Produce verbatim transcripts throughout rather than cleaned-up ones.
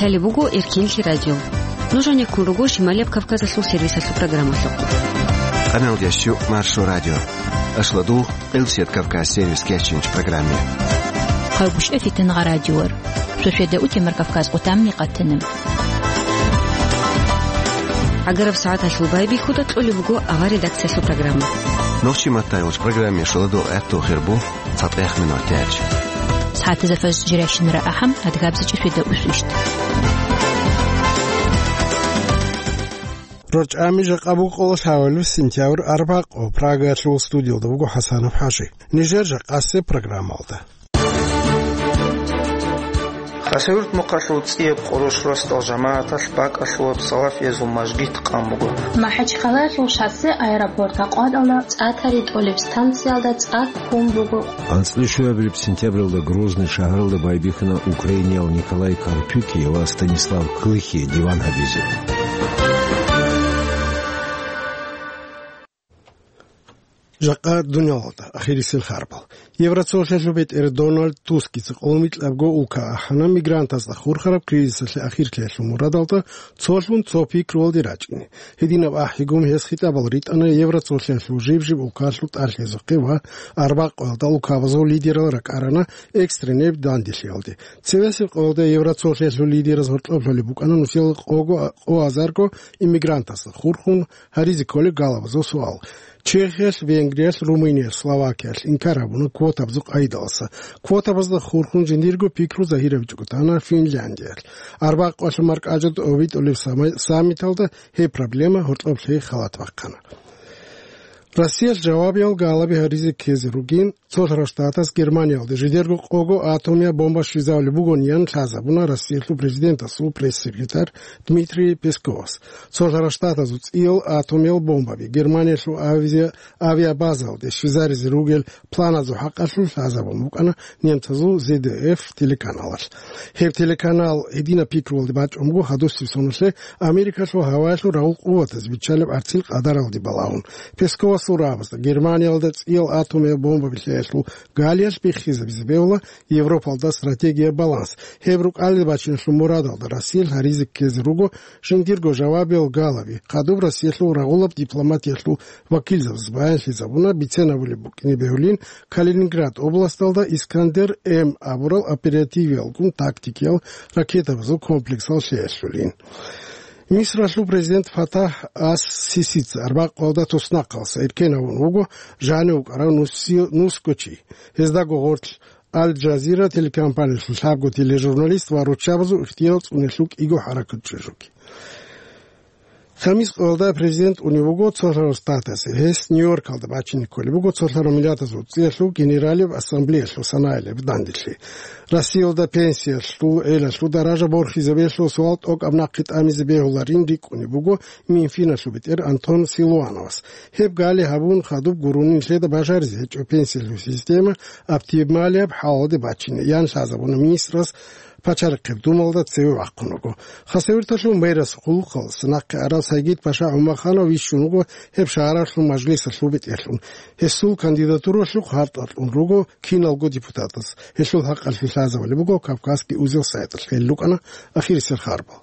Лъалеб буго Эркинлъи радио. Нуж гьанеккун руго Шималияб Кавказалъул сервисалъул программалъухъ. Къаналдиясчу Маршо радио. Ашладул Къилсият Кавказ сервис кечинч программе. Хъайгуща фитангъа радиор. Шошеда утемар Кавказ къутамни къатана. Агараб сагӀаталъул байбихьуда кьолеб буго авар редакциялъул программа. Нохчи матайулч программе шоладул гӀатту хирбу. ЦатӀех минутач. СагӀатазда фажр жирайщинара ахӀам, адгабзичӀеб шведа усвищт. РорчӀами жакъа буго къоло лъабабилеб сентябрь арбакъо. Прагаялъул студиялда буго ХӀасанов ХӀажи. Нижер жакъасеб программалда. Хасавюрт мухъалъул цӀияб къурущ росдал жамагӀаталъ бакӀалъулаб салафиязул мажгит къан буго. МахӀачхъалаялъул шоссе аэропорт Акъваталда цӀа тари тӀолеб станциялда цӀа ккун буго. АнцӀила щуабилеб сентябралда Грозный шагьаралда байбихьана украиниял Николай Карпюкий ва Станислав Клыхий диван гьабизе. Жакъа дуниялалда ахирисел харбал. Евроцолъиялъул бетӀер Дональд Тускица къоло микьабго улка ахӀана мигрантазда хурхараб кризисалъе ахирлъиялъул мурадалда цолъун цо пикруялде рачӀине. Гьединаб ахӀигун гьес хитӀабал ритӀана Евроцолъиялъул жиб-жиб улкалъул тӀалъизухъе ва арбакъоялда улкабазул лидерал ракӀарана экстренеб данделъиялде. Цевесеб къоялда Евроцолъиялъул лидераз гьоркьоб лъолеб букӀана нусиялда къого, къо азарго иммигрантасда хурхун гьаризе кколеб галабазул суал. Чехиялъ, Венгриялъ, Румыниялъ, Словакиялъ инкар гьабуна квотабазул къайдалъа. Квотабазда хурхун жиндирго пикру загьирабичӀого тана Финляндиялъ. Арбакъоялъул маркӀачӀа тӀобитӀулеб сама-, саммиталда гьеб проблема гьоркьоб лъей халат бахъана. Россиялъ жавабиял галаби гьаризе ккезе ругин, Цолъарал Штатас Германиялде жидерго къого атомияб бомба щвезабулеб бугониан лъазабуна Россиялъул президентасул пресс-секретарь Дмитрий Песковас. Цолъарал Штатазул цӀиял атомиял бомбаби Германиялъул авиа-, авиабазаялде щвезаризе ругел планазул хӀакъалъулъ лъазабун букӀана немцазул З Д Ф телеканалалъ. Гьеб телеканал гьединаб пикруялде бачӀун буго гьадусеб соналъе Америкалъул гьаваялъул рагъул къуватаз биччалеб гӀарцил къадаралде балагьун. Песковасул рагӀабазда Германиялда цӀиял атомияб бомба билъиялъул галиялъ биххизабизе бегьула Европалда стратегияб баланс. Гьеб рукӀалде бачиналъул мурадалда Россиялъ гьаризе ккезе руго жиндирго жавабиял галаби. Хадуб Россиялъул рагъулаб дипломатиялъул вакилзабаз баянлъизабуна бицен абулеб букӀине бегьулин Калининград областалда Искандер М абурал оперативиялгун тактикиял ракетабазул комплексал лъеялъулин. Мисралъул президент ФатахӀ ас-Сисица арбакъалда туснахъалса эркен гьавун вуго жанив вукӀарав нусси-, нусго чи. Гьездаго гъорлъ Аль-Джазира телекомпаниялъул лъабго тележурналист ва руччабазул ихтиял цӀунелъул кӀиго хӀаракат чӀужуги. Хамис къоялда президент унев вуго Цолъарал Штатасе. Гьес Нью-Йоркалда бачине кколеб буго Цолъарал Миллатазул ЦӀиялъул Генералияб Ассамблеялъул санаялъе данделъи. Россиялда пенсиялъул гӀелалъул даража борхизабиялъул суал тӀокӀаб нахъе тӀамизе бегьуларин рикӀкӀунеб буго Минфиналъул бетӀер Антон Силуановас. Гьеб гали гьабун хадуб гурони нилъеда бажаризе гьечӀо пенсиялъул система оптималияб хӀалалде бачине, ян лъазабуна министрас Пачалихъеб Думалда цеве вахъун вуго. Хасавюрталъул мэрасул хъулухъалъ нахъе арав Сайгид-паша ГӀумаханов вищун вуго гьеб шагьаралъул мажлисалъул бетӀерлъун. Гьесул кандидатуралъухъ гьартӀа кьун руго киналго депутатас. Гьелъул хӀакъалъулъ лъазабулеб буго Кавказский узел сайталъ. Гьел рукӀана ахирисел харбал.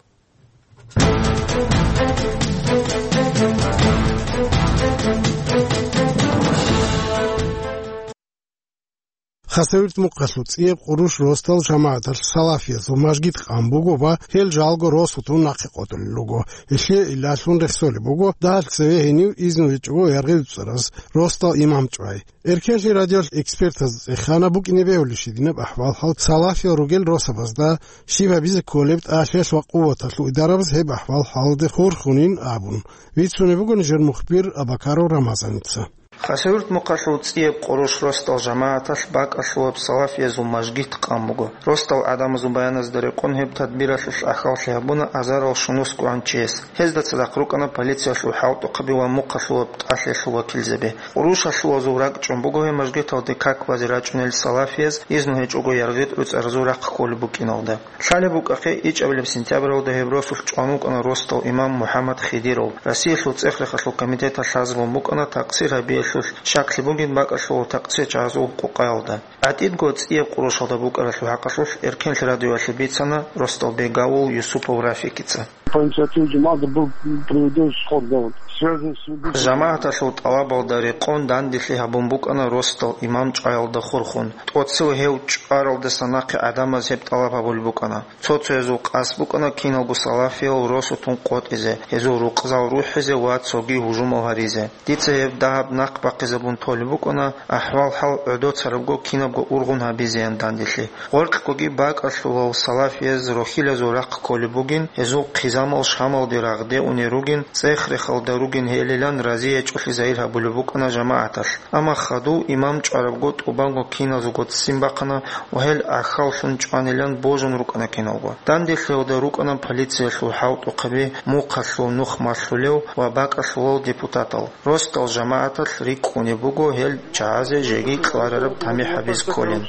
Хасавюрт мухъалъул цӀияб къурущ росдал жамагӀаталъ салафиязул мажгит къан буго ва гьел жалго росулъун нахъе къотӀулел руго. Гьелъие илалъун рехсолеб буго дагьалъ цеве гьенив изну гьечӀого яргъи уцӀараз росдал имам чӀвай. Эркенлъи радиоялъ экспертаз цӀехана букӀине бегьулищ гьединаб ахӀвал-хӀал салафиял ругел росабазда, щиб гьабизе кколеб тӀалъиялъ ва къуваталъул идарабаз гьеб ахӀвал-хӀалде хурхунин абун. Бицунеб буго нижер мухбир Абакаров Рамазаница. Хасавюрт мухъалъул цӀияб къурущ росдал жамагӀаталъ бакӀалъулаб салафиязул мажгит къан буго. Росдал гӀадамазул баяназда рекъон гьеб тадбиралъулъ ахӀваллъи гьабуна азарал щунусгогӀан чияс. Гьезда цадахъ рукӀана полициялъул хӀалтӀухъаби ва мухъалъулаб тӀалъиялъул вакилзаби. Къурущалъулазул ракӀчӀун буго гьеб мажгиталде как базе рачӀунел салафияз, изну гьечӀого яргъи уцӀаразул рахъ кколеб букӀиналда. Лъалеб букӀахъе, ичӀабилеб сентябралда гьеб росулъ чӀван вукӀана росдал имам МухӀаммад Хидиров. Россиялъул ЦӀехрехалъул комитеталъ лъазабун букӀана такъсир гьабиялъе Гьелъул щаклъи бугин бакӀалъул такъсечагӀазул къукъаялда. ГӀатӀидго цӀияб къурушалда букӀаралъул хӀакъалъулъ Эркенлъи радиоялъе бицана Ростал Бегавул Юсупов Рафикица. По инициативе жамагӀата был проведен сход, да, вот, связанный с убийством. ЖамагӀаталъул тӀалабалда рекъон данделъи гьабун букӀана Ростал имам чӀваялда хурхун. ТӀоцев гьев чӀваралдаса нахъе гӀадамаз гьеб тӀалаб гьабулеб букӀана. Цо-цоязул къасд букӀана киналго салафиял росутун къотӀизе, гьезул рукъзал рухӀизе ва цоги гьужумал гьаризе. Дица гьеб дагьаб нахъ бахъизабун толеб букӀана, ахӀвал-хӀал гӀодоцарабго кинабго ургъун гьабизеян данделъи. Гъоркьгоги бакӀалъулал салафияз рохьилазул рахъ кколеб бугин, гьезул хъизамал Шамалде рагъде унел ругин, цӀех-рехалда ругин гьелилан разиячӀолъи загьир гьабулеб букӀана жамагӀаталъ. Амма хадув имам чӀварабго тӀубанго киназулго ццин бахъана ва гьел гӀахьаллъун чӀванилан божун рукӀана киналго. Данделъиялда рукӀана полициялъул хӀалтӀухъаби, мухъалъул нух малъулев ва бакӀалъулал депутатал. Ростал жамагӀаталъ рикӀкӀунеб буго гьел чагӀазе жеги кьварараб тамихӀ гьабиз кколин.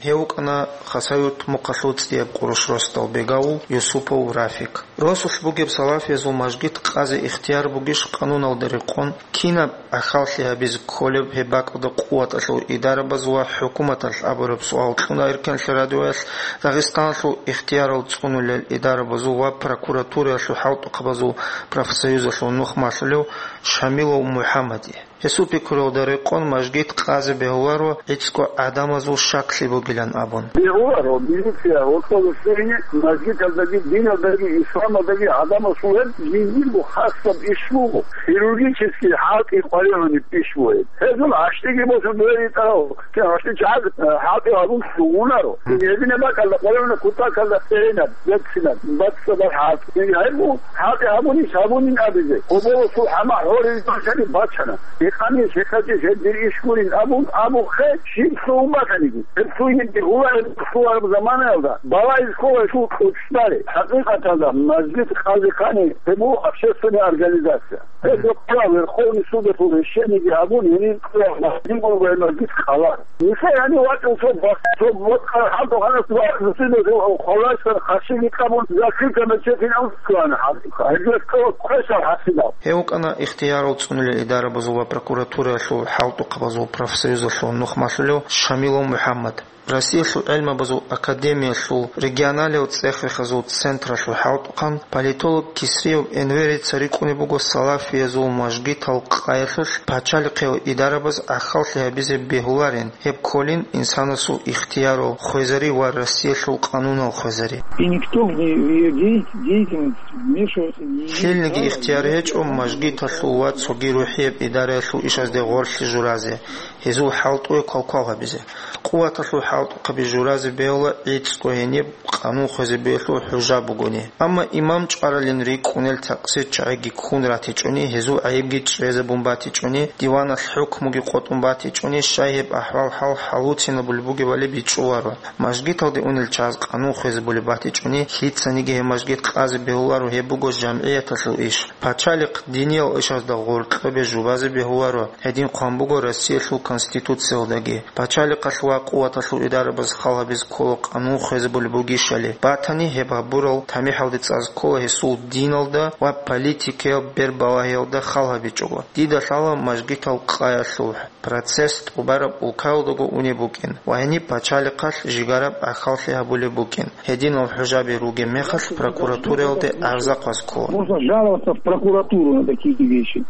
Гьев вукӀана Хасавюрт мухъалъул цӀияб къурущ Ростал Бегавул Юсупов Рафик. Росулъ бугеб салафиязул мажгит къазе ихтияр бугищ къануналда рекъон, кинаб гӀахьаллъи гьабизе кколеб гьеб бакӀалда къуваталъул идарабаз ва хӀукуматалъ абураб суал кьуна Эркенлъи радиоялъ Дагъистаналъул ихтиярал цӀунулел идарабазул ва прокуратураялъул хӀалтӀухъабазул профсоюзалъул нух малъулев Шамилов МухӀаммаде. Гьесул пикруялда рекъон мажгит къазе бегьуларо гӀицӀго гӀадамазул щаклъи бугилан абун. Бегьуларо, милиция, гьоркьоб цӀунине мажгиталдаги, диналдаги, исламалдаги гӀадамасул гьеб жиндирго хасаб иш буго, хирургический хӀалтӀи къваригӀунеб иш буго гьеб. Гьезул гӀащтӀиги босун дугьел ритӀарал, кин гӀащтӀи чагӀаз, э, хӀалтӀи гьабун лъугьунаро. Гьединаб бакӀалда къваригӀуна кутакалда цӀеренаб, берцинаб, бацӀцӀадаб хӀалтӀи. Гьеб гьабун, хӀалтӀи гьабунищ гьабунин абизе. Къоболосул хӀама гьорил бачани бачана. Гьекъанищ, гьекъачӀищ гьеб дир иш гурин абун абухъе, щиб лъугьун батаниги. Гьеб лъугьинебги гьулареб, лъугьараб заманаялда балагьиз ккола шул кьучӀдали. ХӀакъикъаталда, мажгит къазе ккани, гьеб буго общественная организация. Гьеб рокъора Верховный судалъул решениеги гьабун, гьенир ккола мажгит къала. Нилъер гьанив вачӀун цо бахъ-, цо бокьараб хӀалтӀухъанас ва Муслимасул хвалаштан хъашиги къабун, закрытый мечеть гьавун цӀуна хӀалтӀухъа. Гьеб ккола квешал хӀасилал. Гьев вукӀана ихтиярал цӀунулел идарабазул ва прокуратураялъул хӀалтӀухъабазул профсоюзалъул нух малъулев Шамилов МухӀаммад. Россиялъул гӀелмабазул академиялъул регионалияб цӀех-рехазул централъул хӀалтӀухъан политолог Кисриев Энверица рикӀкӀунеб буго салафиязул мажгитал къаялъулъ пачалихъиял идарабаз гӀахьаллъи гьабизе бегьуларин, гьеб кколин инсанасул ихтиярал хвезари ва Россиялъул къанунал хвезари. И никто в не-, в её де-, деятельность вмешиваться не имеет права. Лъилниги ихтияр гьечӀо мажгиталъул ва цоги рухӀияб идараялъул ишазде гъорлъи журазе, гьезул хӀалтӀуе квалквал гьабизе. Къуваталъул хӀалтӀухъаби журазе бегьула гӀицӀго гьениб къанун хвезе бегьулъул хӀужа бугони. Амма имам чӀваралин рикӀкӀунел такъсир чагӀиги ккун ратичӀони, гьезул гӀайибги чӀезабун батичӀони, диваналъ хӀукмуги къотӀун батичӀони, щай гьеб ахӀвал-хӀал хӀалуцинабулеб бугебали бичӀчӀуларо. Мажгиталде унел чагӀаз къанун хвезе булеб батичӀони, лъицаниги гьеб мажгит къазе бегьуларо, гьеб буго жамгӀияталъул иш. Пачалихъ диниял ишазда гъоркьобе жубазе бегьуларо, гьедин хъван буго Россиялъул Конституциялдаги. Пачалихъалъ ва къуваталъул идарабаз хал гьабиз ккола къанун хвезабулеб бугищали. Батани, гьеб гьабурал тамихӀалде цӀаз ккола гьесул диналда ва политикаяб бербалагьиялда хал гьабичӀого. Дида лъала мажгитал къаялъул процесс тӀубараб улкаялдаго унеб букӀин ва гьениб пачалихъалъ жигараб гӀахьаллъи гьабулеб букӀин. Гьединал хӀужаби ругеб мехалъ прокуратураялде гӀарза хъваз ккола. Можно жаловаться в прокуратуру на такие вещи.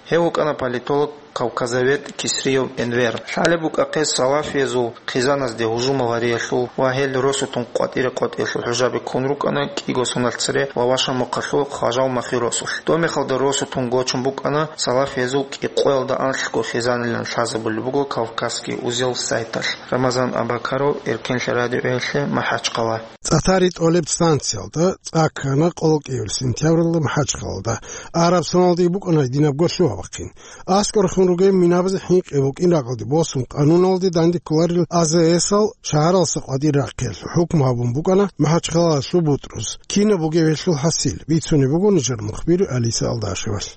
Гьев вукӀана политолог, кавказовед Кисриев Энвер. Лъалеб букӀахъе салафиязул хъизаназде гьужумал гьариялъул ва гьел росутун къватӀире-къватӀиялъул хӀужаби ккун рукӀана кӀиго соналъ цере ва Вашамухъалъул Хважал Махиросулъ. Доб мехалда росутун гочун букӀана салафиязул кӀикъоялда анлъго хъизанилан лъазабулеб буго «Кавказский узел» сайталъ. Рамазан Абакаров, Эркенлъи радиоялъе, МахӀачхъала. ЦӀатари тӀолеб станциялда цӀа ккана къоло кӀиявил сентябралда МахӀачхъалалда. Араб соналдаги букӀана гьединабго лъугьа-бахъин. АскӀорхун ругел минабазе хӀинкъи букӀин ракӀалде босун, къануналде данде кколарел АЗС-ал шагьаралдаса къватӀир рахъиялъул хӀукму гьабун букӀана МахӀачхъалалъул БутӀрус. Кинаб бугеб гьелъул хӀасил, бицунеб буго нижер мухбир Алиса Алдашевалъ.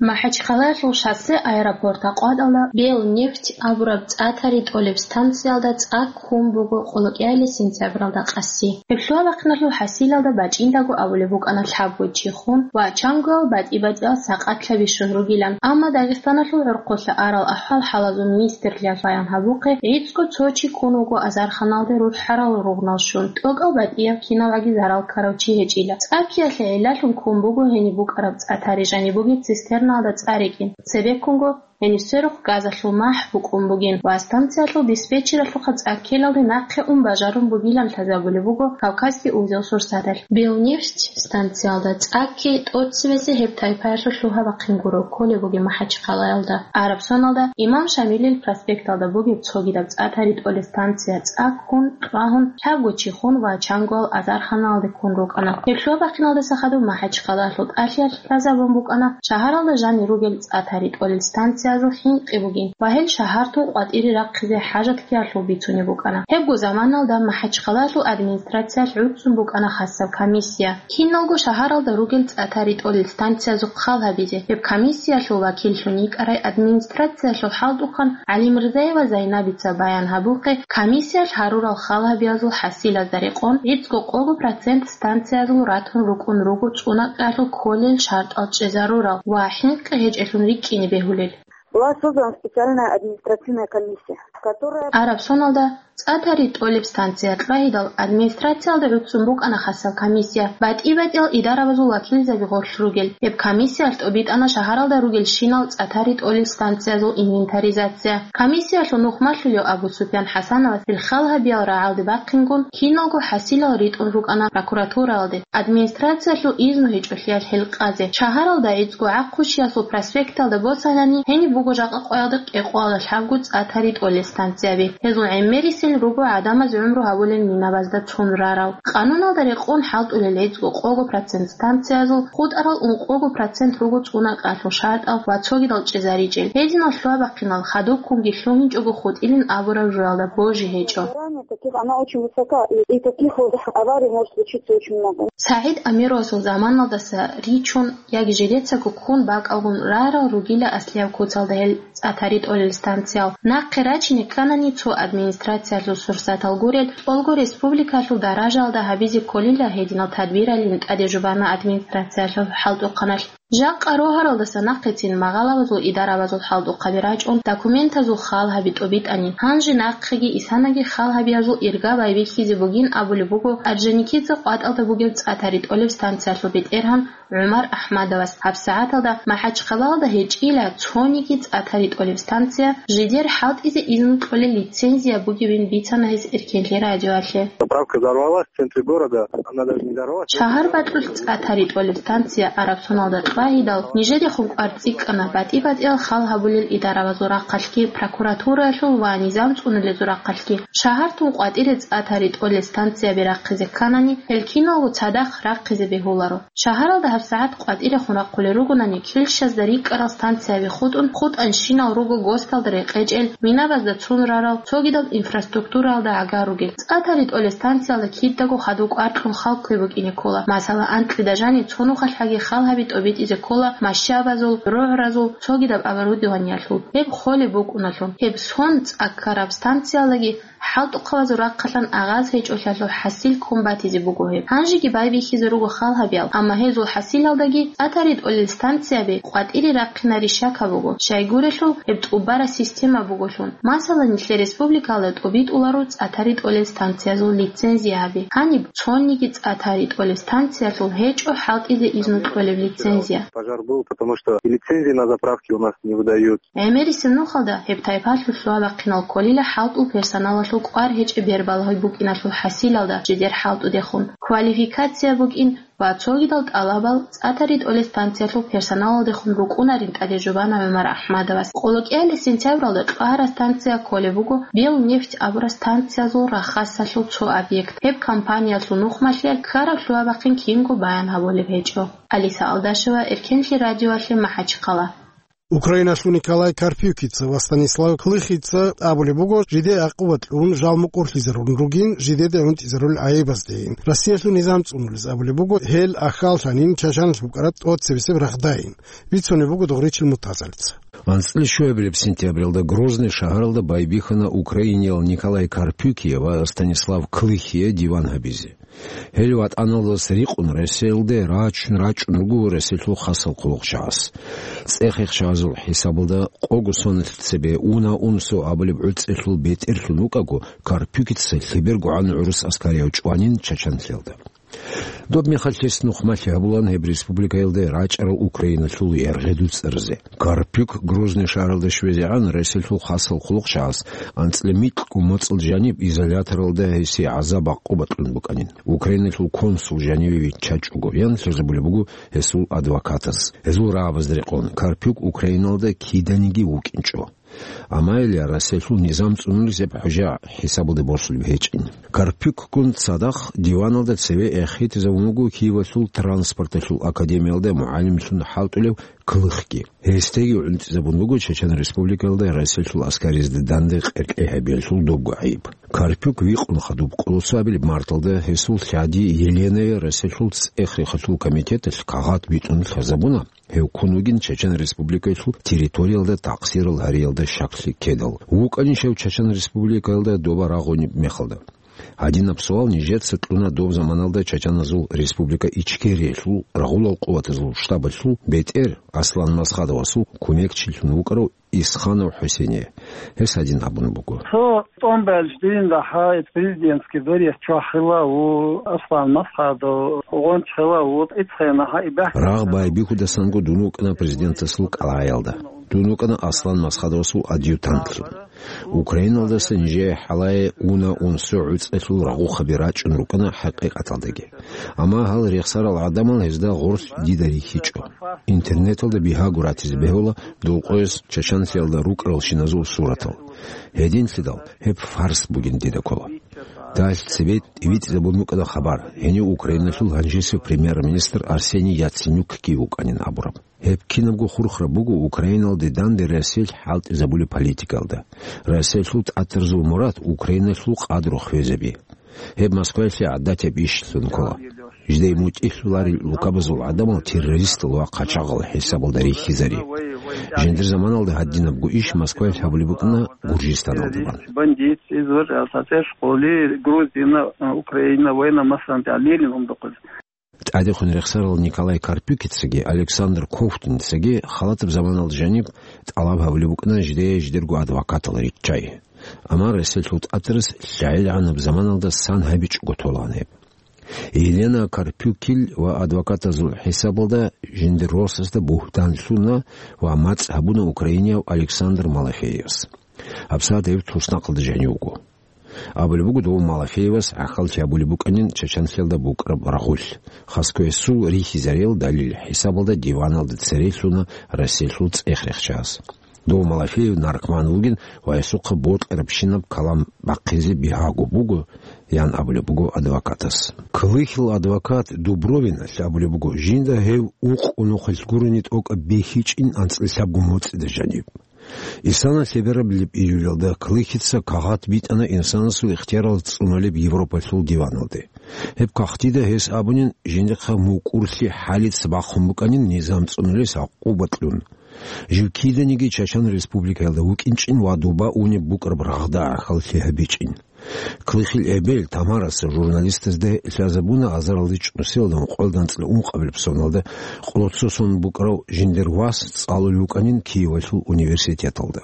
МахӀачхъалаялъул шоссе аэропорт акъватӀалда Белнефть абураб цӀа тари тӀолеб станциялда цӀа ккун буго къолокӀиялил сентябралда къаси. Гьеб лъугьа-бахъиналъул хӀасилалда бачӀиндаго абулеб букӀана лъабго чи хун ва чанго батӀи-батӀиял сакъат бищун ругилан, амма Дагъистаналъул гӀорхъолъа арал ахӀвал-хӀалазул министрлъиялъ баян гьабухъе, гӀицӀго цо чи ккун вуго азарханалде рухӀарал ругънал щун, тӀокӀав батӀияб кинаваги зарал ккарав чи гьечӀила. ЦӀа ккеялъе гӀиллалъун ккун буго гьениб букӀараб цӀа тари жаниб бугеб цистерналда цӀа рикӀкӀин. Цебеккунго гьениб сверухъ газалъул махӀ букӀун бугин ва станциялъул диспетчералъухъа цӀа ккелалде нахъе ун бажарун бугилан лъазабулеб буго Кавказский узел сурсаталъ. Белнефть станциялда цӀа ккей тӀоцебесеб гьеб тайпаялъул лъугьа-бахъин гуро кколеб бугеб МахӀачхъалаялда. Араб соналда Имам Шамилил проспекталда бугеб цогидаб цӀа тари тӀолеб станция цӀа ккун, тӀагьун, лъабго чи хун ва чангоял азарханалде ккун рукӀана. Гьеб лъугьа-бахъиналдаса хадуб МахӀачхъалаялъул тӀалъиялъ лъазабун букӀана шагьаралда жанир ругел цӀа тари тӀолел станциязул хӀинкъи бугин ва гьел шагьартун къватӀире рахъизе хӀажат ккеялъул бицунеб букӀана. Гьебго заманалда МахӀачхъалаялъул администрациялъ гӀуцӀцӀун букӀана хасаб комиссия, киналго шагьаралда ругел цӀа тари тӀолел станциязухъ хал гьабизе. Гьеб комиссиялъул вакиллъун йикӀарай администрациялъул хӀалтӀухъан ГӀалимирзаева Зайнабица баян гьабухъе, комиссиялъ гьарурал хал гьабиязул хӀасилазда рекъон гӀицӀго-къого процент станциязул ратун рукӀун руго цӀунакъиялъул кколел шартӀал чӀезарурал ва хӀинкъи гьечӀелъун рикӀкӀине бегьулел. Была создана специальная административная комиссия, которая Араб соналда цӀа тари тӀолеб станция тӀагьидал администрациялда гӀуцӀцӀун букӀана хасаб комиссия, батӀи-батӀиял идарабазул вакилзаби гъорлъ ругел. Гьеб комиссиялъ тӀобитӀана шагьаралда ругелщинал цӀа тари тӀолел станциязул инвентаризация. Комиссиялъул нухмалъулев Абу Суфян ХӀасановас гьел хал гьабиял рагӀалде бахъингун, киналго хӀасилал ритӀун рукӀана прокуратураялде, администрациялъул изну гьечӀолъиялъ гьел къазе. Шагьаралда гӀицӀго гӀахъущиялъул проспекталда босанани, гьениб буго жакъа къоялда кӀикъоялда лъабго цӀа тари тӀолел станцияби. Гьезул гӀемерисел руго гӀадамаз гӀумру гьабулел минабазда цун рарал. Къануналда рекъон хӀалтӀулел гӀицӀго-къого процент станциязул хутӀарал ункъого процент руго цӀунакъиялъул шартӀал ва цогидал чӀезаричӀел. Гьединал лъугьа-бахъинал хадубккунги лъугьинчӀого хутӀилин абураб жоялда божи гьечӀо. Таких, она очень высока, и, и таких вот аварий может случиться очень много. СагӀид Амировасул заманалдаса ричун яги жидецаго ккун бакӀалгун рарал ругила аслияб куцалда гьел цӀа тари тӀолел станциял. Нахъе рачине кканани цо администрациялъул сурсатал гурел, тӀолго республикалъул даражаялда гьабизе кколила гьединал тадбиралин тӀаде жубана администрациялъул хӀалтӀухъаналъ. Жакъа рогьаралдаса нахъецин магъалабазул идарабазул хӀалтӀухъаби рачӀун, документазул хал гьаби тӀобитӀани, гьанже нахъеги исанаги хал гьабиязул ирга байбихьизе бугин абулеб буго Орджоникидзе къватӀалда бугеб цӀа тари тӀолеб станциялъул бетӀергьан ГӀумар АхӀмадовас. ГьабсагӀаталда МахӀачхъалаялда гьечӀила цониги цӀа тари тӀолеб станция, жидер хӀалтӀизе изну кьолел лицензия бугебин бицана гьес Эркенлъи радиоялъе. Заправка взорвалась в центре города, она даже не взорвалась. Шагьар бакьулъ цӀа тари тӀолеб станция Араб соналда тӀагьидал, нижедехун кӀвар цӀикӀкӀана батӀи-батӀиял хал гьабулел идарабазул рахъалъги, прокуратураялъул ва низам цӀунулезул рахъалъги. Шагьартун къватӀире цӀа тари тӀолел станцияби рахъизе кканани, гьел киналго цадахъ рахъизе бегьуларо. Шагьаралда гьабсагӀат къватӀирехун рахъулел ругонани, килщазда рикӀкӀарал станцияби хутӀун, хутӀанщинал руго ГОСТалда рекъечӀел, минабазда цун рарал, цогидаб инфраструктураялда гӀагар ругел. ЦӀа тари тӀолел станциялда кидаго хадув кӀвар кьун хал ккве букӀине ккола. Масала, анкьида жаниб цо нухалъ гьаги хал гьаби тӀобитӀизе ккола машабазул, рогӀразул, цогидаб оборудованиялъул. Гьеб холеб букӀуналъун. Гьеб сон цӀа ккараб станциялдаги хӀалтӀухъабазул рахъалъан агъаз гьечӀолъиялъул хӀасил ккун батизе буго гьеб. Гьанжеги байбихьизе руго хал гьабиял, амма гьезул хӀасилалдаги цӀа тари тӀолел станцияби къватӀире рахъинари щака буго, щайгурелъул гьеб тӀубараб система буголъун. Масала, нилъер республикалда тӀубитӀуларо цӀа тари тӀолел станциязул лицензия гьаби. Гьаниб цониги цӀа тари тӀолел станциялъул гьечӀо хӀалтӀизе изну кьолеб лицензия. Пожар был, потому что и лицензии на заправки у нас не выдают. ГӀемерисеб нухалда гьеб тайпалъул лъугьа-бахъинал кколила хӀалтӀул персоналалъул кӀвар гьечӀеб бербалагьи букӀиналъул хӀасилалда жидер хӀалтӀудехун, квалификация букӀин ва цогидал тӀалабал цӀа тари тӀолел станциялъул персоналалдехун букӀунарин тӀаде жубана ГӀумар АхӀмадовас. КъолокӀиялил сентябралда тӀагьараб станция кколеб буго Белнефть абураб станциязул рахасалъул цо объект. Гьеб компаниялъул нухмалъиялъ ккараб лъугьа-бахъин кинго баян гьабулеб гьечӀо. Алиса Алдашева, Эркенлъи радиоялъе, МахӀачхъала. Украиналъул Николай Карпюкица ва Станислав Клыхица абулеб буго, жидее гӀакъуба кьун жал мукӀурлъизарун ругин, жидеда гӀунтӀизарул гӀайибаздейин. Россиялъул низам цӀунулез абулеб буго, гьел ахьаллъанин Чачаналъ букӀараб тӀоцебесеб рагъдайин. Бицунеб буго Дугъричил Муртазалица. АнцӀила щуабилеб сентябралда Грозный шагьаралда байбихьана Украиниял Николай Карпюкие ва Станислав Клыхие диван гьабизе. Гьел ВатӀаналдаса рикъун Россиялде рачун-рачун руго Россиялъул хасал хъулухъчагӀаз. ЦӀехихъчагӀазул хӀисабалда къого соналъ цебе уна-унсо абулеб гӀуцӀелъул бетӀерлъун вукӀаго, Карпюкица лъебергогӀан гӀурус аскарияв чӀванин Чачанлъиялда. Доб мехалъ гьес нухмалъи гьабулаан гьеб республикаялде рачӀарал Украиналъул яргъи дуцӀарзе. Карпюк Грозный шагьаралда щвезегӀан Россиялъул хасал хъулухъчагӀаз анцӀила микьго моцӀалда жаниб изоляторалда гьесие гӀазаб-гӀакъуба кьун букӀанин. Украиналъул консул жаниве виччачӀого, ян лъазабулеб буго гьесул адвокатас. Гьезул рагӀабазда рекъон, Карпюк Украиналда киданиги вукӀинчӀо. Амма гьеле Россиялъул низам цӀунулес гьеб хӀужа хӀисабалде босулеб гьечӀин. Карпюкгун цадахъ диваналда цеве эхетизабун вуго Киевалъул транспорталъул академиялда мугӀалимлъун хӀалтӀулев Клыхги. Гьесдаги гӀунтӀизабун буго Чечен Республикаялда Россиялъул аскаризда данде къеркьей гьабиялъул добго гӀайиб. Карпюк викъун хадуб къоло цоабилеб марталда гьесул лъади Еленае Россиялъул цӀех-рехалъул комитеталъ кагъат битӀун лъазабуна, гьев ккун вугин Чечен Республикаялъул территориялда такъсирал гьариялда щаклъи ккедал. ВукӀанищ гьев Чечен Республикаялда доба рагъунеб мехалда? Гьадинаб суал нижеца кьуна доб заманалда чачаназул республика Ичкериялъул рагъулал къуватазул штабалъул бетӀер Аслан Масхадовасул кумекчилъун вукӀарав Исханов ХӀусене. Гьес гьадин абун буго. Цо тӀомбалч дин дагьа президентский дворец чвахила ву Аслан Масхадов, гъончила ву ицхъена гьа ибяхъ. Рагъ байбихьудасанго дун вукӀана президентасул кӀалгӀаялда. Дун вукӀана Аслан Масхадовасул адъютантлъун. Украиналдаса нижее хӀалае уна-унсо гӀуцӀалъул рагъухъаби рачӀун рукӀана хӀакъикъаталдаги. Амма гьал рехсарал гӀадамал гьезда гъоркь дида рихьичӀо. Интернеталда бигьаго ратизе бегьула дулкъояс чачанлъиялда рукӀаралщиназул суратал. Гьединлъидал гьеб фарс бугин дида ккола. Далъ цебе тӀибитӀизабун букӀана хабар, гьенив Украиналъул гьанжесев премьер-министр Арсений Яценюкги вукӀанин абураб. Гьеб кинабго хурхараб буго Украиналде данде Россиялъ хӀалтӀизабулеб политикалда. Россиялъул тӀатаразул мурад Украиналъул къадру хвезаби. Гьеб Москваялъе гӀадатаб ишлъун ккола. Жидее мутӀигӀлъуларел лукабазул гӀадамал террористал ва хъачагъал хӀисабалда рихьизари. Жиндир заманалда гьадинабго иш Москваялъ гьабулеб букӀана Гуржистаналдабан. Бандит, извр, а, цацӀер школи, Грузина, а, Украина, война, масалан, Ленин умдухъиз. ТӀадехун рехсарал Николай Карпюкицаги Александр Кофтуницаги халатаб заманалда жаниб тӀалаб гьабулеб букӀана жидее жидерго адвокатал риччай. Амма Россиялъул тӀатарас лъагӀелгӀанаб заманалда сан гьабичӀого толаан гьеб. Елена Карпюкил ва адвокатазул хӀисабалда жиндир росасда бугьтан лъуна ва мацӀ гьабуна украинияв Александр Малафеевас. ГьабсагӀат гьев туснахъалда жанив вуго. Абулеб буго, дов Малафеевас гӀахьаллъи гьабулеб букӀанин чачанлъиялда букӀараб рагъулъ, хасго гьесул рихьизарел далил хӀисабалда диваналда цере лъуна Россиялъул цӀех-рехчагӀаз. Дов Малафеев наркоман вугин ва гьесухъа бокьарабщинаб калам бахъизе бигьаго буго, ян абулеб буго адвокатас. Клыхил адвокат Дубровиналъ абулеб буго, жинда гьев ункъо нухалъ гурони тӀокӀаб бихьичӀин анцӀила лъабго моцӀида жаниб. Исана лъеберабилеб июлялда Клыхица кагъат битӀана инсанасул ихтиярал цӀунулеб Европалъул диваналде. Гьеб кагътида гьес абунин, жиндихъа мукӀурлъи хӀалица бахъун букӀанин низам цӀунулес гӀакъуба кьун. Жив киданиги Чачан Республикаялда вукӀинчӀин ва доба унеб букӀараб рагъда гӀахьаллъи гьабичӀин. Клыхил эбел Тамараса журналистазда лъазабуна азаралде чӀусиялда ункъоялда анцӀила ункъабилеб соналда къоло цо сон букӀарав жиндир вас цӀалулев вукӀанин Киевалъул университеталда.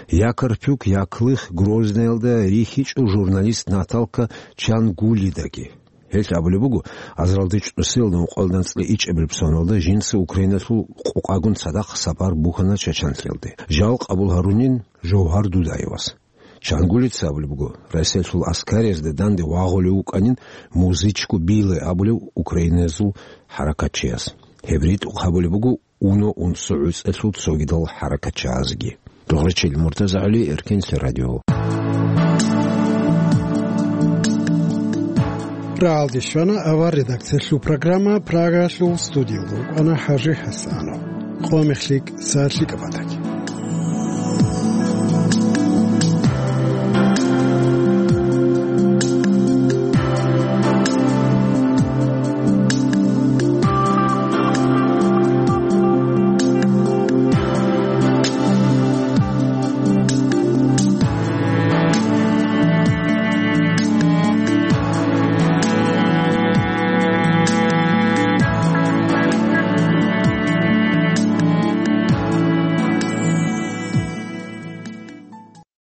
Я Карпюк, я Клых Грозныйалда рихьичӀо журналист Наталка Чангулидаги. Гьелъ абулеб буго, азаралде чӀусиялда ункъоялда анцӀила ичӀабилеб соналда жинца Украиналъул къокъагун цадахъ сапар бухьана Чачанлъиялде. Жал къабул гьарунин Жовгьар Дудаевас. Чангулица абулеб буго, Россиялъул аскариязда данде вагъулев вукӀанин Музычку Биле абулев украиназул хӀаракатчияс. Гьеб ритӀухъ гьабулеб буго уно-унсо гӀуцӀалъул цогидал хӀаракатчагӀазги. Дугърачил Муртазагьли, Эркенлъи радио. Рагьалде щвана авар редакциялъул программа, Прагалъул студиялда рукӀана ХӀажи ХӀасанов. къо мех лъикӀ, са лъикӀаб батӀа.